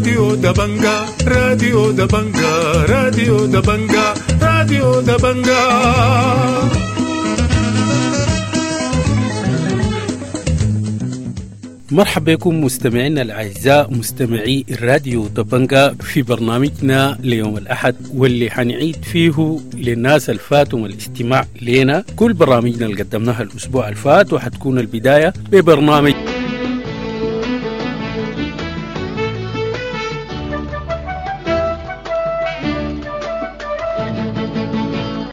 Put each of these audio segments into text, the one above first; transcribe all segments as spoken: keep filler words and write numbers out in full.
راديو دبنجا راديو دبنجا راديو دبنجا راديو دبنجا. مرحبا بكم مستمعينا الأعزاء مستمعي الراديو دبنجا في برنامجنا ليوم الأحد، واللي حنعيد فيه للناس الفاتهم الاستماع لنا كل برامجنا اللي قدمناها الأسبوع الفات، وحتكون البداية ببرنامج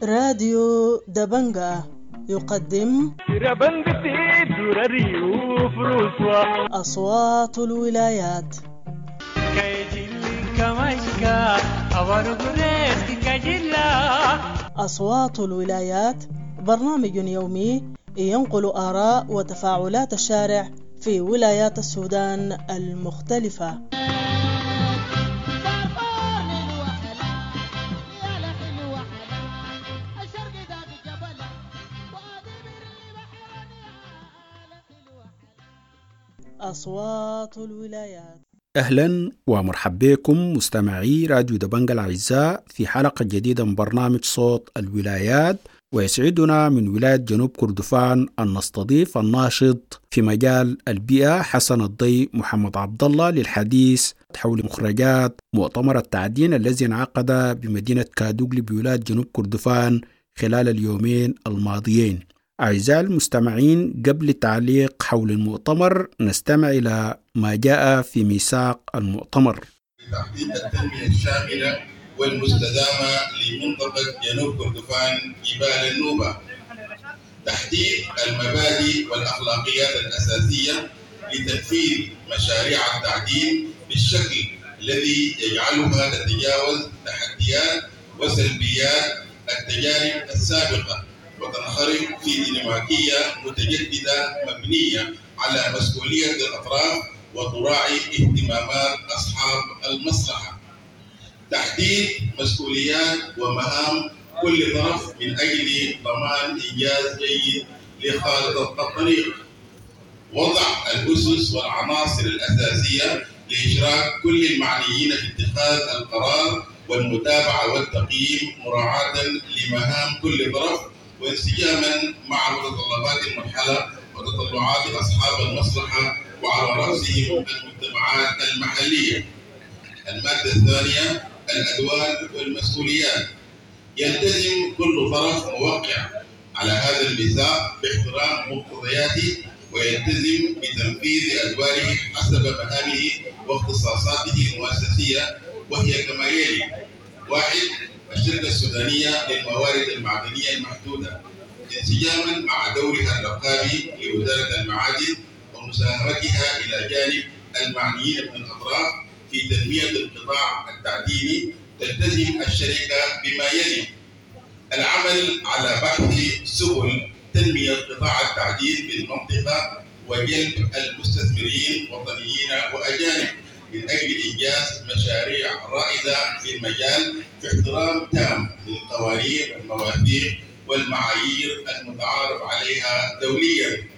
راديو دبنجا يقدم أصوات الولايات. أصوات الولايات برنامج يومي ينقل آراء وتفاعلات الشارع في ولايات السودان المختلفة. أصوات الولايات. أهلا ومرحبا بكم مستمعي راديو دبنجا الأعزاء في حلقة جديدة من برنامج صوت الولايات، ويسعدنا من ولاية جنوب كردفان أن نستضيف الناشط في مجال البيئة حسن الضي محمد عبد الله للحديث حول مخرجات مؤتمر التعدين الذي انعقد بمدينة كادوغلي بولاية جنوب كردفان خلال اليومين الماضيين. أعزائي المستمعين، قبل التعليق حول المؤتمر نستمع إلى ما جاء في ميثاق المؤتمر. تحقيق التنمية الشاملة والمستدامة لمنطقة جنوب كردفان جبال النوبة، تحديد المبادئ والأخلاقيات الأساسية لتنفيذ مشاريع التعدين بالشكل الذي يجعلها تتجاوز تحديات وسلبيات التجارب السابقة وتنخرط في ديناميكية متجددة مبنية على مسؤولية الأطراف وتراعي اهتمامات أصحاب المصلحة. تحديد مسؤوليات ومهام كل طرف من أجل ضمان إنجاز جيد لخارطة الطريق. وضع الأسس والعناصر الأساسية لإشراك كل المعنيين في اتخاذ القرار والمتابعة والتقييم مراعاة لمهام كل طرف وانسجاما مع متطلبات المرحلة وتطلعات أصحاب المصلحة وعلى رأسهم المجتمعات المحلية. المادة الثانية الأدوار والمسؤوليات. يلتزم كل طرف موقع على هذا الميثاق باحترام مقتضياته ويلتزم بتنفيذ أدواره حسب مهامه واختصاصاته المؤسسية، وهي كما يلي: واحد، الشركة السودانية للموارد المعدنية المحدودة انسجاما مع دورها الرقابي لوزارة المعادن ومساهمتها إلى جانب المعنيين من الأطراف في تنمية القطاع التعديني، تلتزم الشركة بما يلي: العمل على بحث سبل تنمية قطاع التعدين بالمنطقة وجلب المستثمرين وطنيين وأجانب من أجل إنجاز مشاريع رائدة في المجال في احترام تام للقوانين والمواثيق والمعايير المتعارف عليها دوليا.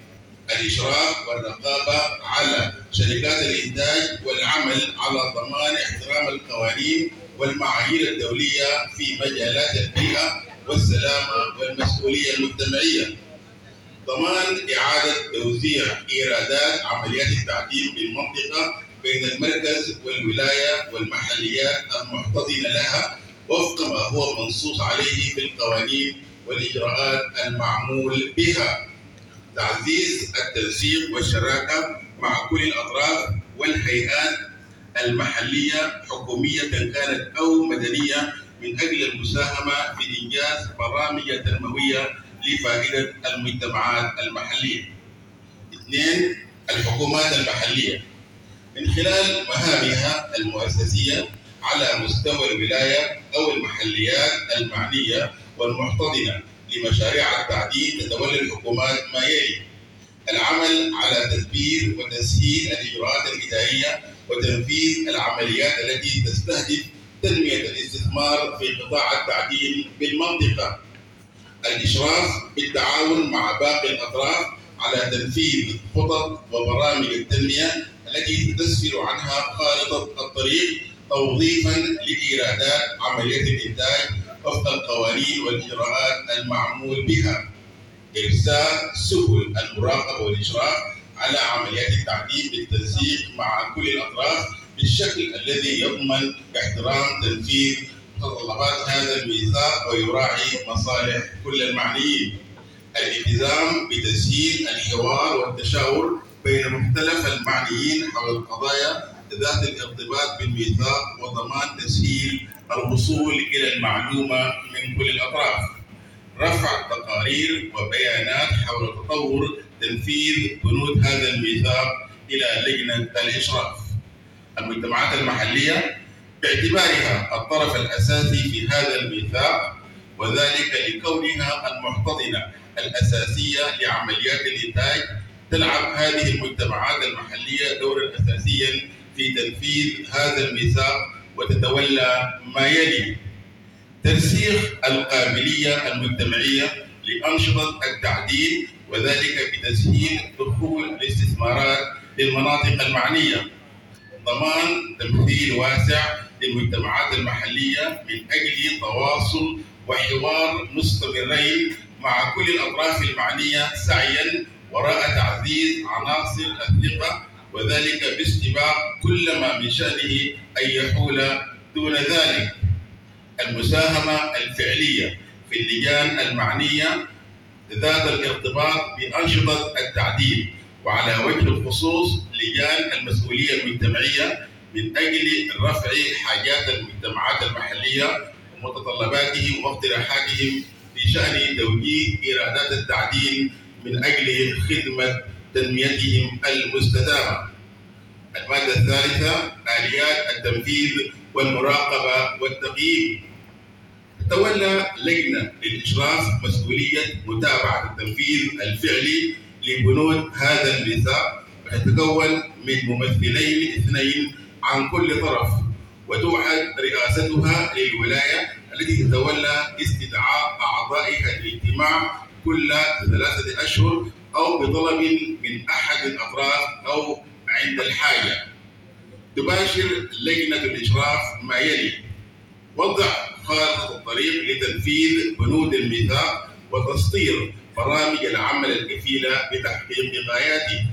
الإشراف والرقابة على شركات الإنتاج والعمل على ضمان احترام القوانين والمعايير الدولية في مجالات البيئة والسلامة والمسؤولية المجتمعية. ضمان إعادة توزيع إيرادات عمليات التعدين بالمنطقة بين المركز والولاية والمحليات المحتضنة لها وفق ما هو منصوص عليه في القوانين والإجراءات المعمول بها. تعزيز التنسيق والشراكة مع كل الأطراف والهيئات المحلية حكومية كانت أو مدنية من أجل المساهمة في إنجاز برامج تنموية لفائدة المجتمعات المحلية. اثنين، الحكومات المحلية من خلال مهامها المؤسسية على مستوى الولاية أو المحليات المعنية والمحتضنة لمشاريع التعدين تتولى الحكومات ما يلي: العمل على تدبير وتسهيل الإجراءات الإدارية وتنفيذ العمليات التي تستهدف تنمية الاستثمار في قطاع التعدين بالمنطقة، الإشراف بالتعاون مع باقي الأطراف على تنفيذ خطط وبرامج التنمية التي التي تسفر عنها خارطة الطريق توظيفا لإيرادات عملية الإنتاج وفق القوانين والإجراءات المعمول بها. إرساء سبل المراقبة والإشراف على عمليات التعدين بالتنسيق مع كل الأطراف بالشكل الذي يضمن احترام تنفيذ متطلبات هذا الميثاق ويراعي مصالح كل المعنيين. الالتزام بتسهيل الحوار والتشاور بين مختلف المعنيين حول القضايا ذات الارتباط بالميثاق وضمان تسهيل الوصول إلى المعلومة من كل الأطراف. رفع تقارير وبيانات حول تطور تنفيذ بنود هذا الميثاق إلى لجنة الإشراف. المجتمعات المحلية باعتبارها الطرف الأساسي في هذا الميثاق، وذلك لكونها المحتضنة الأساسية لعمليات الإنتاج، تلعب هذه المجتمعات المحلية دورا أساسيا في تنفيذ هذا الميثاق وتتولى ما يلي: ترسيخ القابلية المجتمعية لأنشطة التعدين، وذلك بتسهيل دخول الاستثمارات للمناطق المعنية، ضمان تمثيل واسع للمجتمعات المحلية من أجل تواصل وحوار مستمرين مع كل الأطراف المعنية سعيا وراء تعزيز عناصر الثقة، وذلك باستباق كل ما من شأنه أن يحول دون ذلك. المساهمة الفعلية في اللجان المعنية ذات الارتباط بأنشطة التعدين، وعلى وجه الخصوص لجان المسؤولية المجتمعية من أجل رفع حاجات المجتمعات المحلية ومتطلباتهم واقتراحاتهم في شأن توجيه إيرادات التعدين من أجل خدمة تنميتهم المستدامة. المادة الثالثة: آليات التنفيذ والمراقبة والتقييم. تتولى لجنة للإشراف مسؤولية متابعة التنفيذ الفعلي لبنود هذا الميثاق، وتتكون من ممثلين اثنين عن كل طرف، وتوحد رئاستها للولاية التي تتولى استدعاء أعضائها للاجتماع كل ثلاثة أشهر أو بطلب من أحد الأطراف أو عند الحاجة. تباشر لجنة الإشراف ما يلي: وضع خارطة الطريق لتنفيذ بنود الميثاق وتسطير برامج العمل الكفيلة بتحقيق غاياته،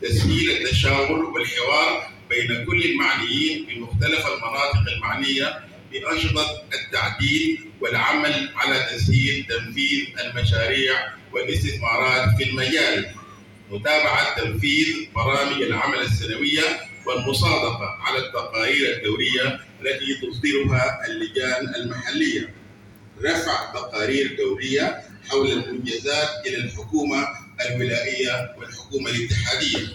تسهيل التشاور والحوار بين كل المعنيين بمختلف المناطق المعنية بأنشطة التعديل والعمل على تسهيل تنفيذ المشاريع والاستثمارات في المجال، متابعة تنفيذ برامج العمل السنوية والمصادقة على التقارير الدورية التي تصدرها اللجان المحلية، رفع تقارير دورية حول المنجزات إلى الحكومة الولائية والحكومة الاتحادية،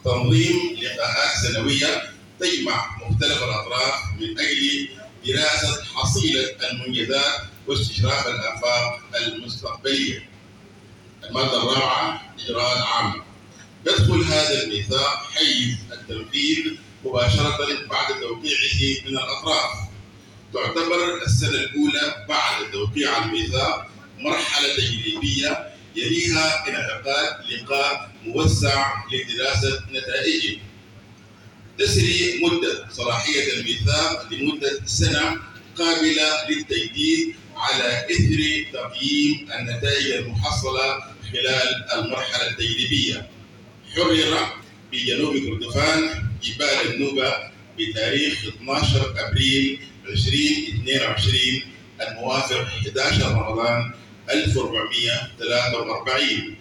تنظيم لقاءات سنوية تجمع مختلف الأطراف من أجل دراسة حصيلة المنجزات واستشراف الآفاق المستقبلية. المادة الرابعة: إجراءات عامة. يدخل هذا الميثاق حيز التنفيذ مباشرة بعد توقيعه من الأطراف. تعتبر السنة الأولى بعد توقيع الميثاق مرحلة تجريبية يليها انعقاد لقاء موسع لدراسة نتائجه. تسري مدة صلاحية الميثاق لمدة سنة قابلة للتجديد على إثر تقييم النتائج المحصلة خلال المرحلة التجريبية. حرر بجنوب كردفان جبال النوبة بتاريخ اثني عشر أبريل ألفين واثنين وعشرين الموافق أحد عشر رمضان ألف وأربعمئة وثلاثة وأربعين.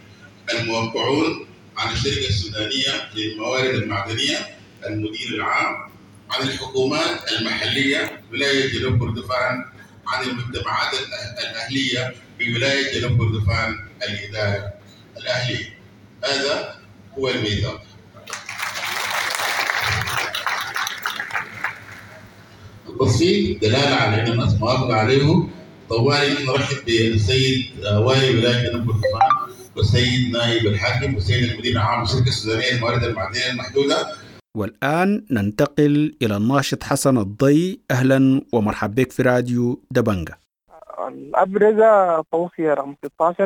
الموقعون عن الشركة السودانية للموارد المعدنية، المدير العام، عن الحكومات المحلية ولاية جنوب كردفان، عن المجتمعات الأهلية بولاية جنوب كردفان، الإدارة الأهلية. هذا هو الميثاق. التصفيق دلالة على أن الناس موافقة عليه. طوالي نرحب بالسيد والي ولاية جنوب كردفان والسيد نائب الحاكم والسيد المدير العام للشركة السودانية للموارد المعدنية المحدودة. والآن ننتقل إلى الناشط حسن الضي. أهلا ومرحبا بك في راديو دبنجة. الأبرز توصية رقم ستة عشر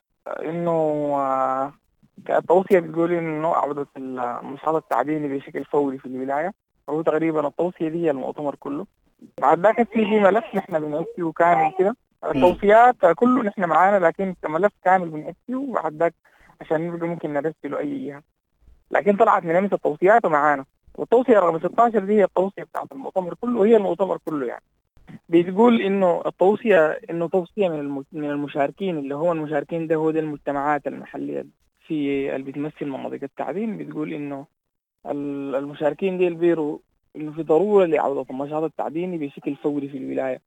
إنه التوصية بتقول إنه عودة النشاط التعديني بشكل فوري في الولاية، وهو تقريبا التوصية دي هي المؤتمر كله. بعد ذاك في ملف نحن بنعد كامل كده، التوصيات كله نحن معانا، لكن كملف كامل بنعد، وبعد ذاك عشان نبقى ممكن نرسله أي جهة. لكن طلعت من أمس التوصيات ومعانا، والتوصية رقم ستة عشر دي هي التوصية بتاعت المؤتمر كله، وهي المؤتمر كله يعني. بتقول إنه التوصية إنه توصية من من المشاركين، اللي هو المشاركين ده هو ده المجتمعات المحلية في اللي بتمثل مناطق التعدين. بتقول إنه المشاركين دي البيرو إنه في ضرورة لعودة النشاط التعديني بشكل فوري في الولاية.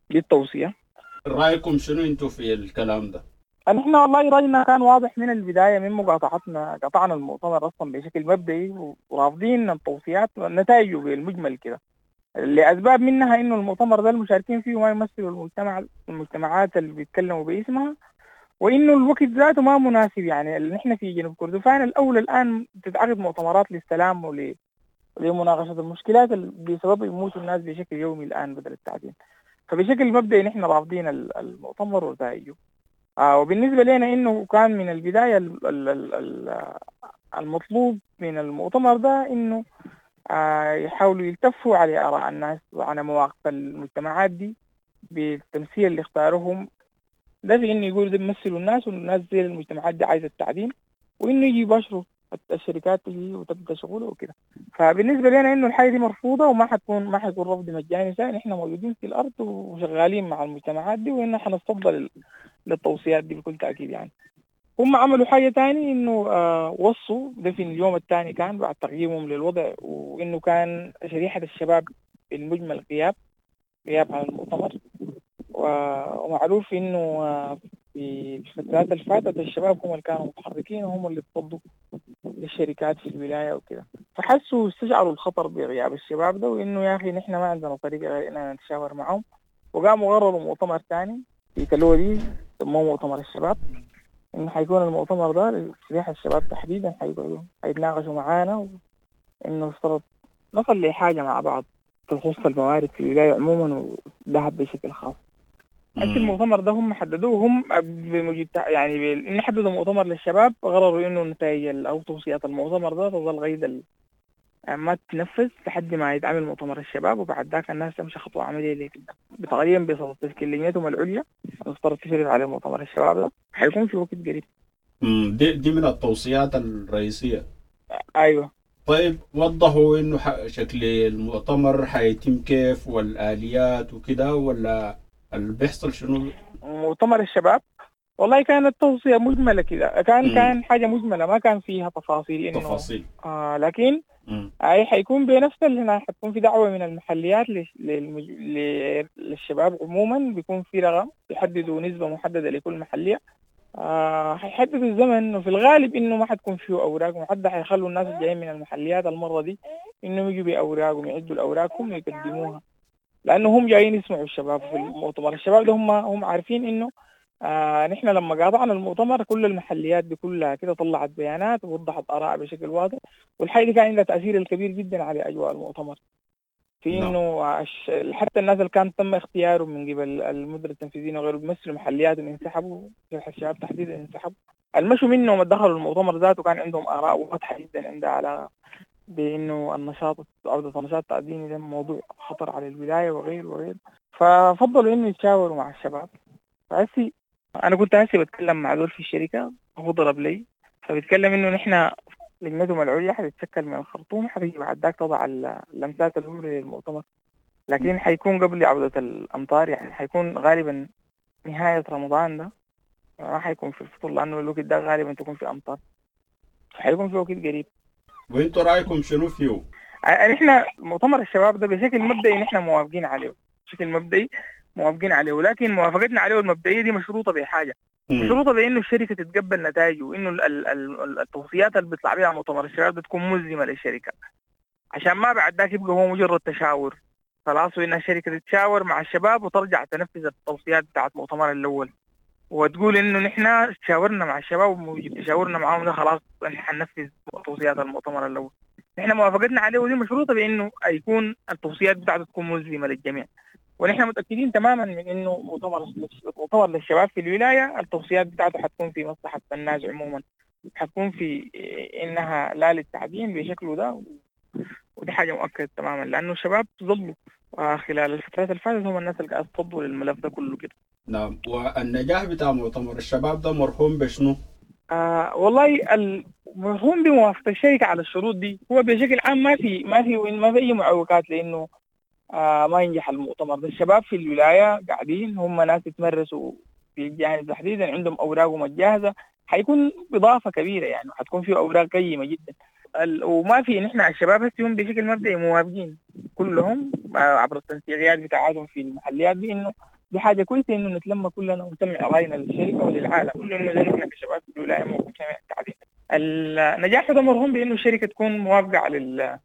دي التوصية. رأيكم شنو أنتوا في الكلام ده؟ نحن والله رأينا كان واضح من البداية، من مقاطعتنا قطعنا المؤتمر أصلا بشكل مبدئي، ورافضين التوصيات ونتائجه بالمجمل كده، لأسباب منها إنه المؤتمر ده المشاركين فيه ما يمثلوا المجتمع المجتمعات اللي بيتكلموا باسمها، وإنه الوقت ذاته ما مناسب. يعني نحن في جنوب كردفان الأول الآن تتعقد مؤتمرات للسلام ول لمناقشة المشكلات اللي بسبب يموتوا الناس بشكل يومي الآن بدل التعدين. فبشكل مبدئي نحن رافضين المؤتمر ونتائجه. آه وبالنسبة لنا إنه كان من البداية المطلوب من المؤتمر ده إنه آه يحاولوا يلتفوا على آراء الناس وعلى مواقف المجتمعات دي بالتمثيل اللي اختاروهم ده، في إنه يقولوا ده بيمثلوا الناس، والناس دي المجتمعات دي عايزة التعدين، وإنه يجي يباشروا الشركات تجي وتبدأ شغله وكده. فبالنسبة لنا إنه الحاجة دي مرفوضة، وما حتكون ما حيكون رفض مجاني ثاني. إحنا موجودين في الأرض وشغالين مع المجتمعات دي، وإنه حنستفضل للتوصيات دي بكل تأكيد. يعني هم عملوا حاجة تاني إنه آه وصوا ده في اليوم الثاني كان بعد تقييمهم للوضع، وإنه كان شريحة الشباب بالمجمل غياب غياب عن المؤتمر، ومعروف إنه آه في الفترات اللي فاتت الشباب هم اللي كانوا متحركين وهم اللي تصدوا للشركات في الولاية وكده، فحسوا استشعروا الخطر بغياب الشباب ده، وإنه يا أخي نحن ما عندنا طريقة غير إننا نتشاور معهم. وقاموا قرروا مؤتمر ثاني في تلودي سموه مؤتمر الشباب، إنه حيكون المؤتمر ده لشريحة الشباب تحديدا، حيقعدوا حيتناقشوا معانا، وإنه افترض نصل لحاجة مع بعض تخص الموارد في الولاية عموما والذهب بشكل خاص. هسه المؤتمر ده هم حددوه هم بموجب يعني إن حددوا مؤتمر للشباب، قرروا إنه نتائج أو توصيات المؤتمر ده تظل غير ما تنفذ لحد ما يتعمل مؤتمر الشباب، وبعد ذاك الناس تمشي خطوة عملية لكده تقريبا بصدد تشكيل لجنتهم العليا المفترض تشرف على مؤتمر الشباب ده، حيكون في وقت قريب. امم دي دي من التوصيات الرئيسية. ايوه. طيب وضحوا انه شكل المؤتمر حيتم كيف والآليات وكده، ولا اللي بيحصل شنو؟ مؤتمر الشباب والله كانت توصية مجملة كده، كان مم. كان حاجة مجملة ما كان فيها تفاصيل إنه تفاصيل. آه لكن مم. أي حيكون بنفس اللي هنا، حتكون في دعوة من المحليات للش- للمج... ل- للشباب عموما، بيكون في رقم يحددوا نسبة محددة لكل محلية. آه حيحددوا الزمن، وفي الغالب إنه ما حتكون فيه أوراق محددة، حيخلوا الناس الجايين من المحليات المرة دي إنهم يجوا بأوراقهم، يعدوا الأوراقهم ويقدموها، لأنه هم جايين يسمعوا الشباب في المؤتمر. الشباب ده هم هم عارفين إنه آه نحن لما قاطعنا المؤتمر كل المحليات بكلها كده طلعت بيانات ووضحت آراء بشكل واضح، والحاجة دي كان عندها تأثير الكبير جدا على أجواء المؤتمر، في نعم. إنه عش- حتى الناس اللي كان تم اختيارهم من قبل المدير التنفيذيين وغيره بيمثلوا محلياتهم انسحبوا، الشباب تحديدا انسحبوا، المشوا منهم دخلوا المؤتمر ذاته كان عندهم آراء واضحة جدا عندها على بإنه النشاط عودة النشاط التعديني ده موضوع خطر على الولاية وغيره وغيره، ففضلوا إنه يتشاوروا مع الشباب. فهسي أنا كنت هسي بتكلم مع دول في الشركة، هو ضرب لي فبيتكلم إنه نحن لجنتهم العليا حتتشكل من الخرطوم، حتيجي بعد ذاك تضع اللمسات الأولى للمؤتمر، لكن حيكون قبل عودة الأمطار، يعني حيكون غالبا نهاية رمضان ده، ما حيكون في الفطور لأنه الوقت ده غالبا تكون في أمطار، حيكون في وقت قريب. وانتوا رايكم شنو فيه؟ نحن مؤتمر الشباب ده بشكل مبدئي نحن موافقين عليه، بشكل مبدئي موافقين عليه، ولكن موافقتنا عليه المبدئية دي مشروطة بحاجة، مشروطة بانه الشركة تتقبل نتائجه، وانه ال- ال- ال- التوصيات اللي بيطلع بها مؤتمر الشباب بتكون ملزمة للشركة، عشان ما بعد ذاك يبقى هو مجرد تشاور خلاص، وان الشركة تتشاور مع الشباب وترجع تنفذ التوصيات بتاعت مؤتمر الاول، وتقول انه نحن تشاورنا مع الشباب وتشاورنا معاهم ده خلاص نحن حننفذ توصيات المؤتمر الاول. نحن موافقتنا عليه ودي مشروطة بانه يكون التوصيات بتاعته تكون ملزمة للجميع، ونحن متاكدين تماما من انه مؤتمر مؤتمر للشباب في الولاية التوصيات بتاعته حتكون في مصلحة الناس عموما، حتكون في إنها لا للتعدين بشكله ده، ودي حاجة مؤكدة تماما، لأنه الشباب ظلوا خلال الفترات اللي فاتت هم الناس اللي قاعد تصدوا للملف ده كله كده. نعم. والنجاح بتاع مؤتمر الشباب ده مرهون بشنو؟ آه والله المرهون بموافقة الشركة على الشروط دي. هو بشكل عام ما في ما في ما في أي معوقات لأنه آه ما ينجح المؤتمر ده. الشباب في الولاية قاعدين هم ناس يتمرسوا في الجانب تحديدا، عندهم أوراقهم الجاهزة، حيكون إضافة كبيرة يعني، حتكون فيه أوراق قيمة جدا. وما في نحن الشباب هسه هم بشكل مبدئي موافقين كلهم عبر التنسيقيات بتاعتهم في المحليات دي، إنه دي حاجة كويسة إنه نتلم كلنا ونسمع رأينا للشركة وللعالم كلنا، نحن كشباب في الولاية موافقين التعدين. النجاح ده مرهون بإنه الشركة تكون موافقة على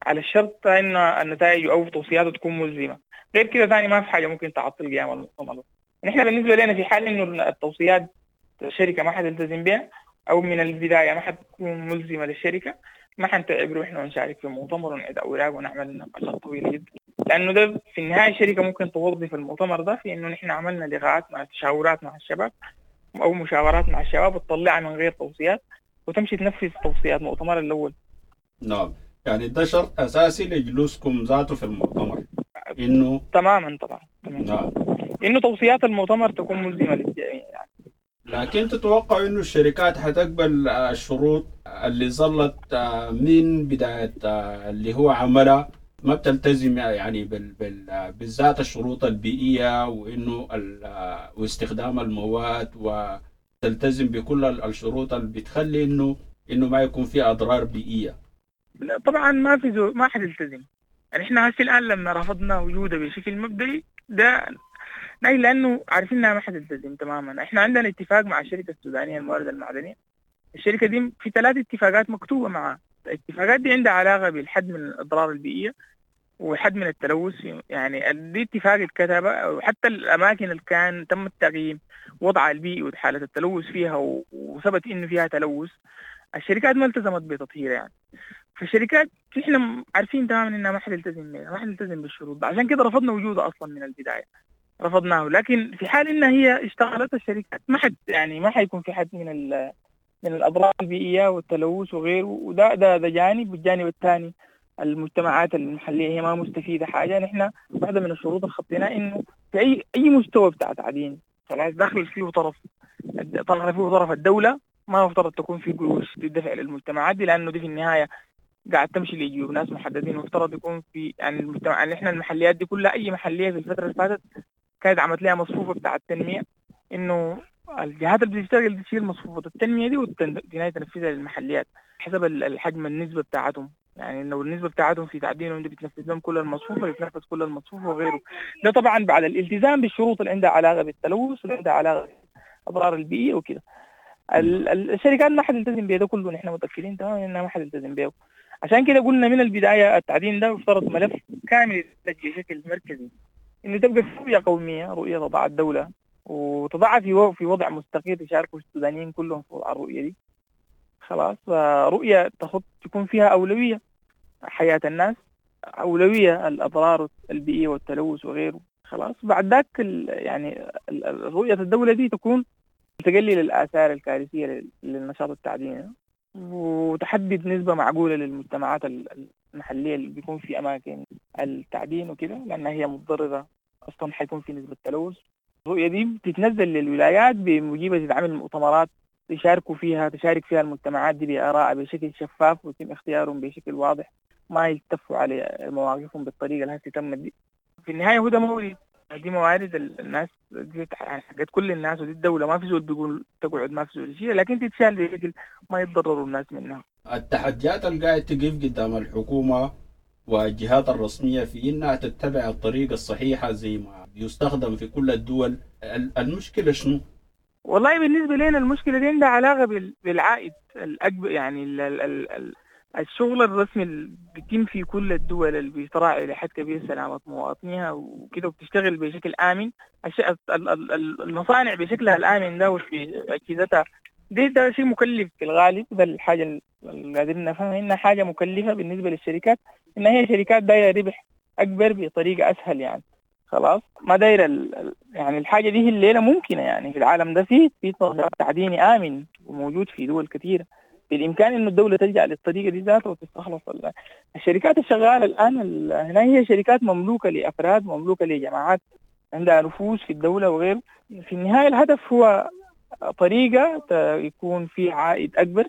على الشرط إن النتائج أو توصياته تكون ملزمة. غير كده ثاني ما في حاجة ممكن تعطل قيام المؤتمر. نحن بالنسبة لنا في حال إنه التوصيات الشركة ما حتلتزم بها أو من البداية ما حتكون ملزمة للشركة، ما حنتعب روحنا ونشارك في المؤتمر ونعيد أوراق ونعمل نقاشات طويلة جدا، لأنه ده في النهاية الشركة ممكن توظف المؤتمر ده في إنه نحن عملنا لقاءات مع تشاورات مع الشباب أو مشاورات مع الشباب وتطلعها من غير توصيات وتمشي تنفذ توصيات المؤتمر الأول. نعم، يعني ده شرط أساسي لجلوسكم ذاته في المؤتمر إنه تماما طبعا تماما. نعم، إنه توصيات المؤتمر تكون ملزمة للجميع يعني. لكن تتوقع إنه الشركات حتقبل الشروط اللي ظلت من بداية اللي هو عملها ما بتلتزم يعني بال بال بالذات الشروط البيئية، وإنه واستخدام المواد، وتلتزم بكل الشروط اللي بتخلي إنه إنه ما يكون في أضرار بيئية؟ لا طبعا ما في زو ما حتلتزم. يعني إحنا هسه الآن لما رفضنا وجوده بشكل مبدئي ده لأنه عارفين إنها ما حتلتزم تماما. إحنا عندنا اتفاق مع الشركة السودانية الموارد المعدنية، الشركة دي في ثلاث اتفاقات مكتوبة معها. الاتفاقات دي عندها علاقة بالحد من الأضرار البيئية وحد من التلوث، يعني دي اتفاق اتكتب، وحتى الأماكن اللي كان تم التقييم وضعها البيئي وحالة التلوث فيها وثبت إنه فيها تلوث، الشركات ما التزمت بتطهيرها يعني. فالشركات إحنا عارفين تماما إنها ما حتلتزم ما حتلتزم بالشروط، عشان كده رفضنا وجودها أصلا من البداية، رفضناه. لكن في حال إنها هي اشتغلت الشركات ما حد يعني ما حيكون في حد من من الأضرار البيئية والتلوث وغيره، وده ده ده جانب. والجانب الثاني المجتمعات المحلية هي ما مستفيدة حاجة. نحن واحدة من الشروط اللي خطيناها إنه في أي أي مستوى بتاع تعدين خلاص داخل فيه طرف طرف فيه طرف الدولة، ما مفترض تكون في قروش تدفع للمجتمعات دي، لأنه دي في النهاية قاعد تمشي لجيوب ناس محددين. مفترض يكون في يعني المجتمع يعني إحنا المحليات دي كلها أي محلية في الفترة اللي فاتت كانت عملت لها مصفوفة بتاع التنمية، إنه الجهات اللي بتشتغل تشيل مصفوفة التنمية دي وتنفذها للمحليات حسب الحجم النسبة بتاعتهم. يعني لو النسبة بتاعتهم في تعدينهم دي بتنفذ لهم كل المصفوفة، بتنفذ كل المصفوفة وغيره. ده طبعا بعد الالتزام بالشروط اللي عندها علاقة بالتلوث واللي عندها علاقة بالأضرار البيئية وكده. الشركات ما حتلتزم بيه ده كله، نحن متأكدين تماما إنها ما حتلتزم بيه. عشان كده قلنا من البداية التعدين ده افترض ملف كامل بشكل مركزي، إنه تبقى رؤية قومية، رؤية تضع الدولة وتضعها في في وضع مستقر يشاركوا السودانيين كلهم في وضع الرؤية دي. خلاص، رؤية تخط تكون فيها أولوية حياة الناس، أولوية الأضرار البيئية والتلوث وغيره. خلاص، بعد ذاك يعني رؤية الدولة دي تكون تقلل الآثار الكارثية للنشاط التعديني، وتحدد نسبة معقولة للمجتمعات المحلية اللي بيكون في أماكن التعدين وكده، لأنها هي متضررة أصلا، حيكون في نسبة تلوث. الرؤية دي بتتنزل للولايات بموجبة تتعمل مؤتمرات يشاركوا فيها، تشارك فيها المجتمعات دي بآراء بشكل شفاف ويتم اختيارهم بشكل واضح، ما يلتفوا على مواقفهم بالطريقة اللي هسه تمت دي. في النهاية هو ده مورد، دي موارد الناس، دي حقت كل الناس ودي الدولة، ما في زول بيقول تقعد، ما في زول شيء، لكن تتشال بشكل ما يتضرروا الناس منها. التحديات اللي قاعد تقف قدام الحكومة والجهات الرسمية في إنها تتبع الطريقة الصحيحة زي ما بيستخدم في كل الدول، المشكلة شنو؟ والله بالنسبة لنا المشكلة دي عندها علاقة بالعائد الأكبر، يعني ال ال ال الشغل الرسمي اللي بيتم في كل الدول اللي بيتراعي لحد كبير سلامة مواطنيها وكده، وبتشتغل بشكل آمن. المصانع بشكلها الآمن ده وفي أجهزتها دي، ده شيء مكلف في الغالب. ده الحاجة اللي قادرين نفهمها، إنها حاجة مكلفة بالنسبة للشركات، إن هي شركات دايرة ربح أكبر بطريقة أسهل يعني. خلاص ما داير ال... يعني الحاجة دي الليلة ممكنة، يعني في العالم ده في في نشاط تعديني آمن وموجود في دول كثيرة، بالإمكان إنه الدولة تلجأ للطريقة دي ذاتها وتستخلص. الشركات الشغالة الآن هنا هي شركات مملوكة لأفراد، مملوكة لجماعات عندها نفوذ في الدولة وغيره. في النهاية الهدف هو طريقة يكون في عائد أكبر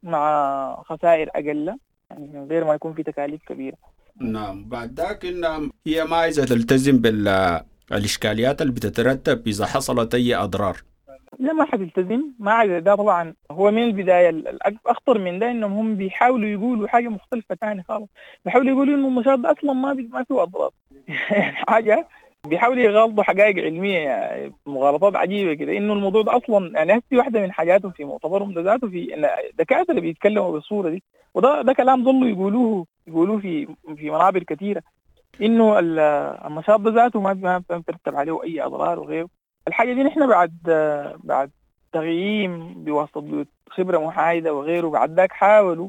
مع خسائر أقل، يعني من غير ما يكون في تكاليف كبيرة. نعم. بعد ذاك إن هي ما عايزة تلتزم بالإشكاليات اللي بتترتب إذا حصلت أي أضرار. لا ما حتلتزم، ما عايزة. ده طبعا هو من البداية الأخطر من ده إنهم هم بيحاولوا يقولوا حاجة مختلفة تاني خالص، بيحاولوا يقولوا إنه النشاط ده أصلا ما بي ما فيه أضرار حاجة بيحاولوا يغالطوا حقائق علمية، يعني مغالطات عجيبة كده، إنه الموضوع ده أصلا يعني هسي واحدة من حاجاتهم في مؤتمرهم ده ذاته في إن دكاترة بيتكلموا بالصورة دي، وده ده كلام ظلوا يقولوه يقولوه في في منابر كثيرة، إنه النشاط ده ذاته ما ما بترتب عليه أي أضرار وغيره. الحاجة دي نحن بعد بعد تغييم بواسطة خبرة محايدة وغيره، بعد ذاك حاولوا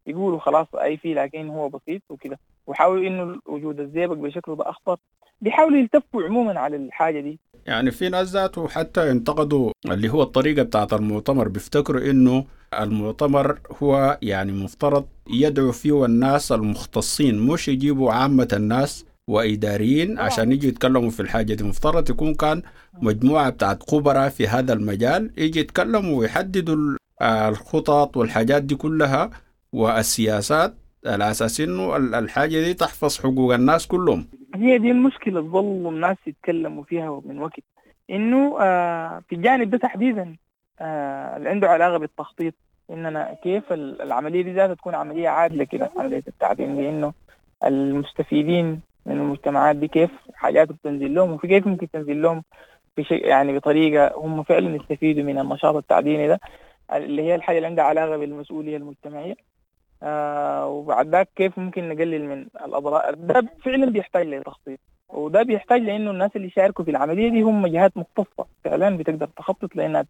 يقولوا خلاص أي فيه لكن هو بسيط وكده، وحاولوا إنه وجود الزئبق بشكله ده أخطر، بيحاولوا يلتفوا عموما على الحاجة دي. يعني في ناس ذاته حتى انتقدوا اللي هو الطريقة بتاعت المؤتمر، بيفتكروا إنه المؤتمر هو يعني مفترض يدعو فيه الناس المختصين، مش يجيبوا عامة الناس وإداريين عشان يجوا يتكلموا في الحاجة دي. مفترض يكون كان مجموعة بتاعت خبراء في هذا المجال يجي يتكلموا ويحددوا الخطط والحاجات دي كلها والسياسات على أساس إنه الحاجة دي تحفظ حقوق الناس كلهم. هي دي المشكلة ظلوا الناس يتكلموا فيها من وقت، إنه آه في الجانب ده تحديدا آه اللي عنده علاقة بالتخطيط، إننا كيف العملية دي ذاتها تكون عملية عادلة كده، عملية التعدين دي، إنه المستفيدين من المجتمعات دي كيف حاجات بتنزل لهم، وفي كيف ممكن تنزل لهم بشيء يعني بطريقة هم فعلا يستفيدوا من النشاط التعديني ده، اللي هي الحاجة اللي عندها علاقة بالمسؤولية المجتمعية. آه وبعد ذاك كيف ممكن نقلل من الأضرار. ده فعلا بيحتاج لتخطيط، وده بيحتاج لأنه الناس اللي شاركوا في العملية دي هم جهات مختصة فعلا بتقدر تخطط، لأنها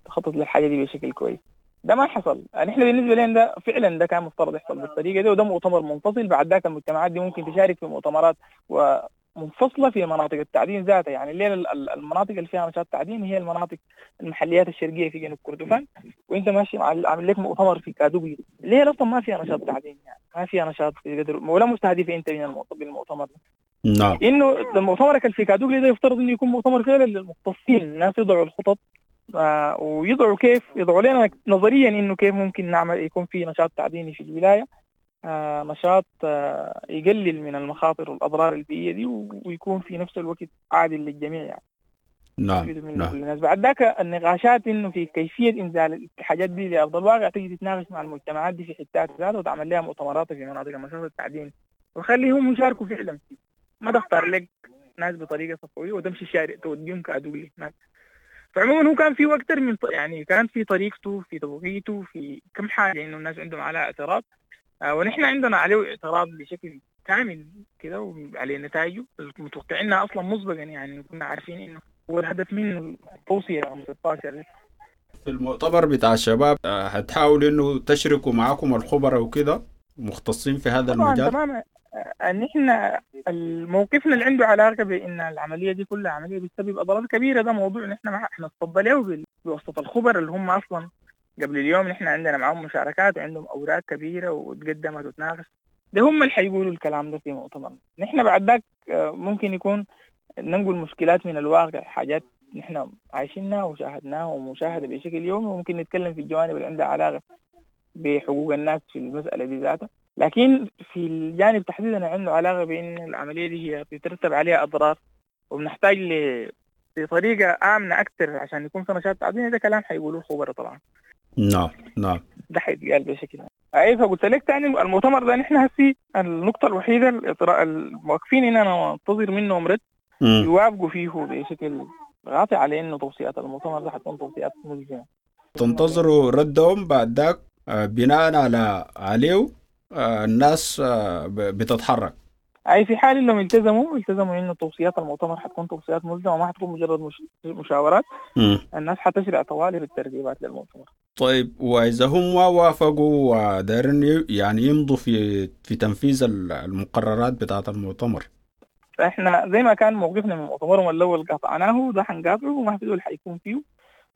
تخطط للحاجة دي بشكل كويس. ده ما حصل. نحن بالنسبة لنا ده فعلا ده كان مفترض يحصل بالطريقة دي، وده مؤتمر منفصل. بعد ذاك المجتمعات دي ممكن تشارك في مؤتمرات ومنفصلة في مناطق التعدين ذاتها. يعني الليلة المناطق اللي فيها نشاط تعدين هي المناطق المحليات الشرقية في جنوب كردفان، وانت ماشي عامل لك مؤتمر في كادوبي اللي هي اصلا ما فيها نشاط تعدين، يعني ما فيها نشاط قدر ولا مستهدفة انت من المؤتمر ده. نعم. انه المؤتمر اللي في كادوبي ده يفترض انه يكون مؤتمر فعلا للمختصين، الناس يضعوا الخطط آه ويضعوا كيف يضعوا لنا نظريا انه كيف ممكن نعمل يكون في نشاط تعديني في الولاية، آه نشاط آه يقلل من المخاطر والاضرار البيئية دي، ويكون في نفس الوقت عادل للجميع يعني. نعم. نعم. الناس. بعد ذاك النقاشات انه في كيفية انزال الحاجات دي لارض الواقع تيجي تتناقش مع المجتمعات دي في حتات ذاتها، وتعمل لها مؤتمرات في مناطق النشاط التعديني وخليهم يشاركوا فعلا. ما تختار لك ناس بطريقة صفويه وتمشي الشارع توديهم كادولي هناك. فعموما هو كان في اكثر من يعني كان في طريقته في توقيته في كم حاجة انه الناس عندهم على اعتراض، آه ونحن عندنا عليه اعتراض بشكل كامل كده وعليه نتائجه متوقعينها اصلا مسبقا، يعني كنا عارفين انه هو الهدف منه التوصية رقم ستة عشر. في المؤتمر بتاع الشباب هتحاولوا انه تشركوا معاكم الخبراء وكده مختصين في هذا طبعاً المجال؟ تماما. نحن موقفنا اللي عنده علاقة بان العملية دي كلها عملية بتسبب اضرار كبيرة، ده موضوع نحن ما احنا نتفضل له بواسطة الخبراء اللي هم اصلا قبل اليوم نحن عندنا معهم مشاركات وعندهم اوراق كبيرة وتقدمت وتناقش، ده هم اللي حيقولوا الكلام ده في مؤتمر. نحن بعد ذاك ممكن يكون ننقل مشكلات من الواقع، حاجات نحن عايشينها وشاهدناها ومشاهدة بشكل يومي، وممكن نتكلم في الجوانب اللي عندها علاقة بحقوق الناس في المسالة دي ذاتها. لكن في الجانب تحديدا عنده علاقة بأن العملية دي هي بيترتب عليها أضرار، وبنحتاج لطريقة آمنة أكثر عشان يكون في نشاط تعديني. ده كلام حيقولوه الخبراء طبعا. نعم نعم. ده حيتقال بشكل أي. فقلت لك تاني المؤتمر ده نحن هسي النقطة الوحيدة الموقفين إننا ننتظر منهم رد يوافقوا فيه بشكل قاطع على إنه توصيات المؤتمر ده حتكون توصيات ملزمة. تنتظروا ردهم بعد ذاك بناء على عليه الناس بتتحرك. أي في حال إنهم التزموا التزموا إنه توصيات المؤتمر حتكون توصيات ملزمة وما حتكون مجرد مش مشاورات. م. الناس حتشرع طوالي بالترتيبات للمؤتمر. طيب وإذا هم ما وافقوا ودارين يعني يمضوا في في تنفيذ المقررات بتاعة المؤتمر؟ فاحنا زي ما كان موقفنا من مؤتمرهم الاول قاطعناه، ده حنقاطعه وما في زول حيكون فيه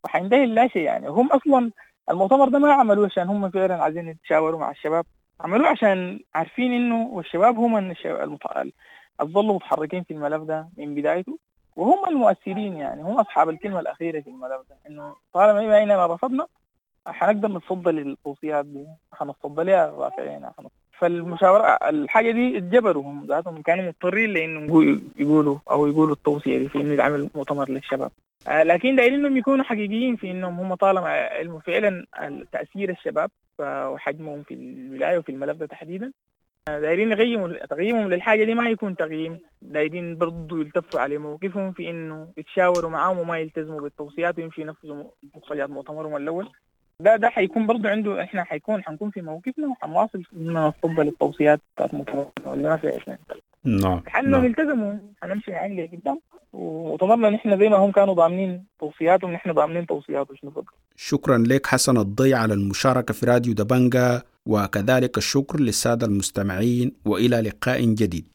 وحينتهي لا شيء يعني. هم اصلا المؤتمر ده ما عملوه عشان هم فعلا عايزين يتشاوروا مع الشباب، عملوه عشان عارفين انه والشباب هم الظلوا متحركين في الملف ده من بدايته، وهم المؤثرين يعني، هم اصحاب الكلمه الاخيره في الملف ده، انه طالما بما اننا رفضنا حنقدر نتصدى للتوصيات دي، حنتصدى لها رافعين. فالمشاورة الحاجة دي اتجبروا هم ذاتهم، كانوا مضطرين لانهم يقولوا او يقولوا التوصية دي في انه يتعمل مؤتمر للشباب. لكن دايرين انهم يكونوا حقيقيين في انهم هم طالما علموا فعلا تأثير الشباب وحجمهم في الولاية وفي الملف ده تحديدا، دايرين يغيموا تقييمهم للحاجة دي ما يكون تقييم، دايرين برضو يلتفوا على موقفهم في انه يتشاوروا معاهم وما يلتزموا بالتوصيات ويمشوا ينفذوا مخرجات مؤتمرهم الاول. ده ده حيكون برضه عنده، احنا حيكون حنكون في موقفنا وحنواصل اننا نتقبل التوصيات بتاعت مؤتمرنا اللي ما فيها اثنين. نعم حنهم يلتزموا، حنمشي يعني لقدام، ومؤتمرنا نحن زي ما هم كانوا ضامنين توصياتهم نحن ضامنين توصياتهم. شنو شكرا لك حسن الضي على المشاركة في راديو دبنجا، وكذلك الشكر للسادة المستمعين، وإلى لقاء جديد.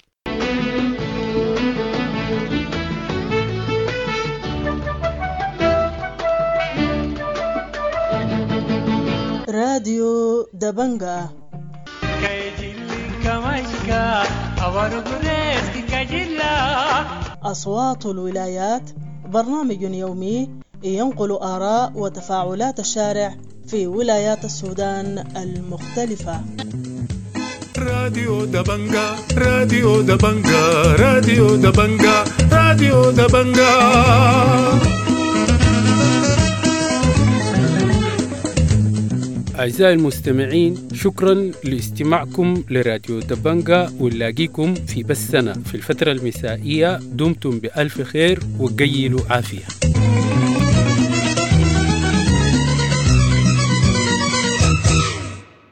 راديو دبنجا. أصوات الولايات، برنامج يومي ينقل آراء وتفاعلات الشارع في ولايات السودان المختلفة. راديو دبنجا، راديو دبنجا، راديو دبنجا، راديو دبنجا. أعزائي المستمعين، شكرا لاستماعكم لراديو دبنجا، ونلاقيكم في بثنا في الفترة المسائية. دمتم بألف خير وقيلوا عافية.